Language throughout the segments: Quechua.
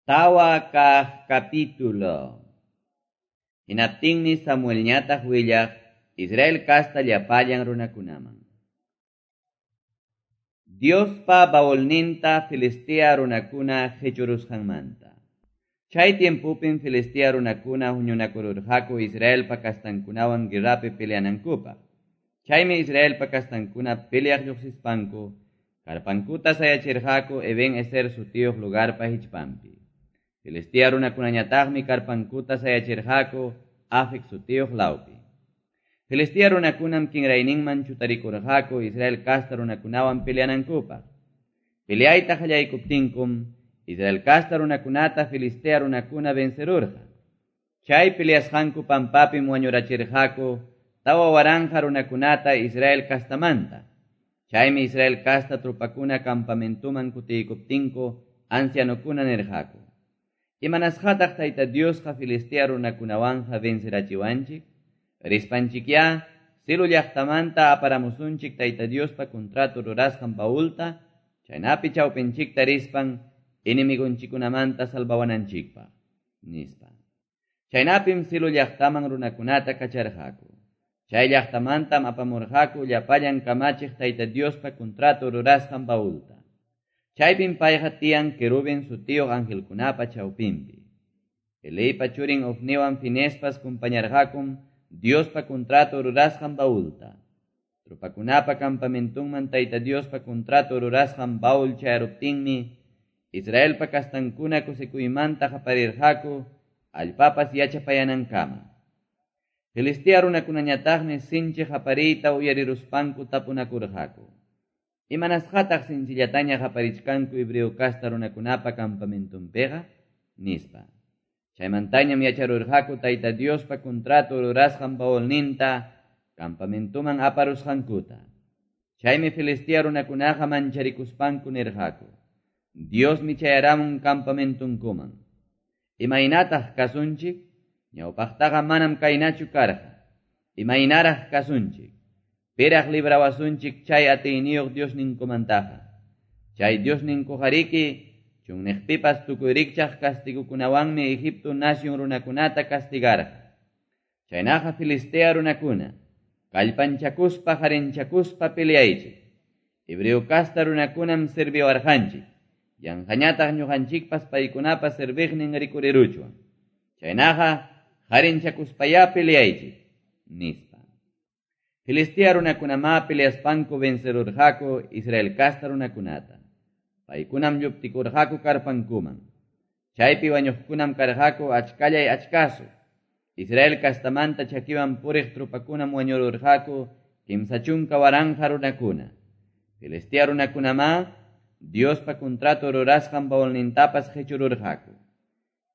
Tawa kaq capítulo. Hinaptinmi Samuelñataq willaq Israel kasta llapallan runakunaman. Diospa baulninta Filistea runakuna qechurusqanmanta. Chay tiempopim Filistea runakuna huñunakururqaku Israelpa kastankunawan guerrapi peleanankupaq. Chaymi Israelpa kastankuna peleaq lluqsispanku, karpankuta sayachirqaku Eben Ezer sutiyuq lugarpa hichpanpi. Filistea runakunañataqmi karpankuta sayachirqaku Afec sutiyuq lawpi. Filistea runakunam kinrayninman chutarikurqaku Israel kasta runakunawan peleanankupaq. Peleayta qallaykuptinkum, Israel kasta runakunata Filistea runakuna vencerurqa. Chay peleasqanku pampapim wañurachirqaku 4,000 runakunata Israel kastamanta. Chaymi Israel kasta trupakuna campamentuman kutiykuptinku ancianokuna nirqaku: Imanasqataq Tayta Diosqa Filistea runakunawanja vencerachiwanchik? Rispanchikyá Silo llaqtamanta aparamusunchik Tayta Diospa contrato rurasqan baulta, chaynapi chawpinchikta rispan enemigonchikunamanta salvawananchikpaq, nispa. Chaynapim Silo llaqtaman runakunata kacharqaku. Chay llaqtamantam apamurqaku llapallan kamachiq Tayta Diospa contrato rurasqan baulta. Chaypim payqa tiyan querubin sutiyuq angelkunapa chawpinpi. Eliypa churin Ofniwan Finespas kumpañarqakum Diospa contrato rurasqan baulta. Tropakunapa campamentunman Tayta Diospa contrato rurasqan baul chayaruptinmi, Israelpa kastankuna kusikuymanta qaparirqaku allpapas yachapayanankama. Filistea runakunañataqmi sinchi qapariyta uyariruspanku tapunakurqaku: Imanasqataq sinchillataña qaparichkanku hebreo kasta runakunapa campamentunpiqa? Nispa. Chaymantañam yacharurqaku Tayta Diospa contrato rurasqan baulninta campamentuman aparusqankuta. Chaymi Filistea runakunaqa mancharikuspanku nirqaku: Diosmi chayaramun campamentunkuman. Imaynataq kasunchik? Ñawpaqtaqa manam kaynachu karqa. Imaynaraq kasunchik? Piraq librawasunchik chay atiyniyuq Diosninkumantaqa. Chay Diosninkuqariki chunniqpipas tukuy rikchaq castigukunawanmi Egipto nación runakunata castigarqa. Chaynaqa Filistea runakuna, kallpanchakuspa harinchakuspa peleaychik. Hebreo kasta runakunam serviwarqanchik. Yanqañataq ñuqanchikpas paykunapa serviqnin rikuriruchwan. Chaynaqa harinchakuspayá peleaychik, nispa. Filistea runakunamá peleaspanku vencerurqaku Israel kasta runakunata. Paykunam lluptikurqaku karpankuman. Chaypi wañuqkunam karqaku achkallay achkasu. Israel kastamanta chakiwan puriq trupakunam wañururqaku 30,000 runakuna. Filistea runakunamá Diospa contrato rurasqan baulnintapas qechururqaku.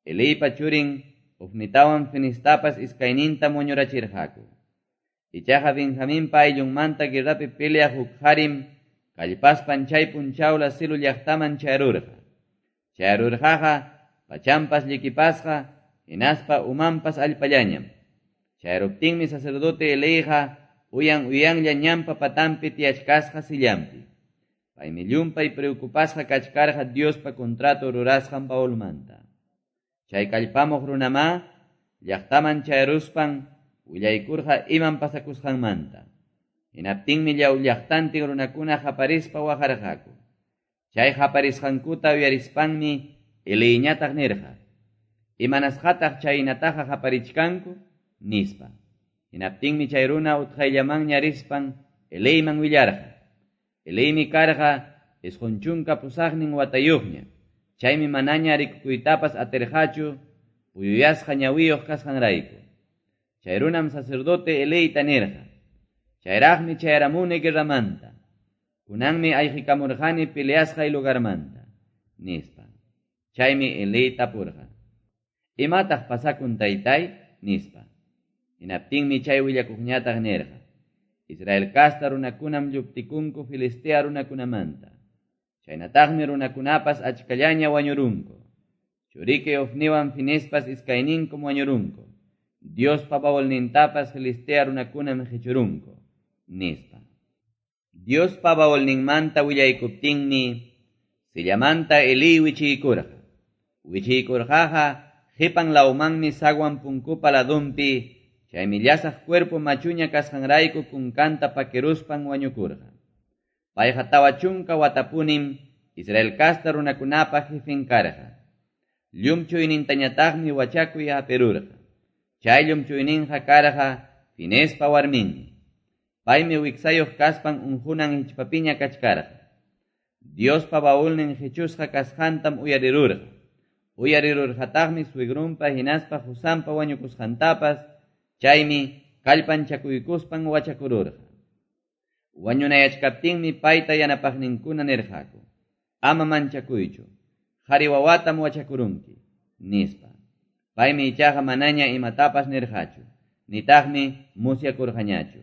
Eliypa churin Ofnitawan Finistapas iskaynintam wañurachirqaku. Ichaqa Benjaminpa ayllunmanta guerrapi peleaq huk qarim kallpaspan chay punchawla Silo llaqtaman chayarurqa. Chayarurqaqa pachanpas llikipasqa hinaspa umanpas allpallañam. Chayaruptinmi sacerdote Eliyqa uyan uyanlla ñanpa patanpi tiyachkasqa sillanpi. Paymi llumpay preocupasqa kachkarqa Diospa contrato rurasqan baulmanta. Chay kallpamuq runamá llaqtaman chayaruspan willaykurqa imam pasakusqanmanta. Hinaptinmi llaw llaqtantin runakuna qaparispa waqarqaku. Chay qaparisqankuta uyarispanmi Eliyñataq nirqa: Imanasqataq chaynataqa qaparichkanku? Nispa. Hinaptinmi chay runa utqayllamanña rispan Eliyman willarqa. Eliymi karqa 98 watayuqña. Chaymi manaña rikukuytapas atirqachu puyuyasqa ñawiyuq kasqanrayku. Chay runam sacerdote Eliyta nirqa: Chayraqmi chayaramuni guerramanta. Kunanmi ayqikamurqani peleasqay lugarmanta, nispa. Chaymi Eliy tapurqa: Imataq pasakun taytay? Nispa. Hinaptinmi chay willakuqñataq nirqa: Israel kasta runakunam lluptikunku Filistea runakunamanta. Chaynataqmi runakunapas achkallaña wañurunku. Churiki Ofniwan Finespas iskayninkum wañurunku. Diospa baulnintapas Filistea runakunam qechurunku, nispa. Diospa baulninmanta willaykuptinmi sillamanta Eliy wichiykurqa. Wichiykurqaqa qipan lawmanmi zaguan punkupa ladonpi, chaymi llasaq cuerpo machuña kasqanrayku kunkanta pakiruspan wañukurqa. Payqa 40 watapunim Israel casta runakunapa jefen karqa. Llumchuynintañataqmi wachakuy hapirurqa. Chay llumchuyninqa karqa Fineespa warminmi. Paymi wiksayuq kaspan unqunan hichpapiña kachkarqa. Diospa baulnin qichusqa kasqantam uyarirurqa. Uyarirurqataqmi suegrunpa hinaspa qusanpa wañukusqantapas, chaymi kallpanchakuykuspan wachakururqa. Wañunayachkaptinmi payta yanapaqninkuna nirqaku: Ama manchakuychu, qhari wawatam wachakurunki, nispa. Paymi ichaqa manaña imatapas nirqachu, nitaqmi musyakurqañachu.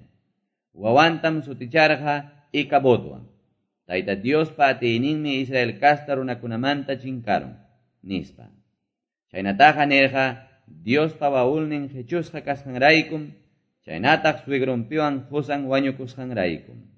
Wawantam suticharqa Icabodwan. Tayta Diospa atiyninmi Israel casta runakunamanta chinkarun, nispa. Chaynataqa nirqa Diospa baulnin qichusqa kasqanraykum, chaynataq suegrunpiwan qusan wañukusqanraykum.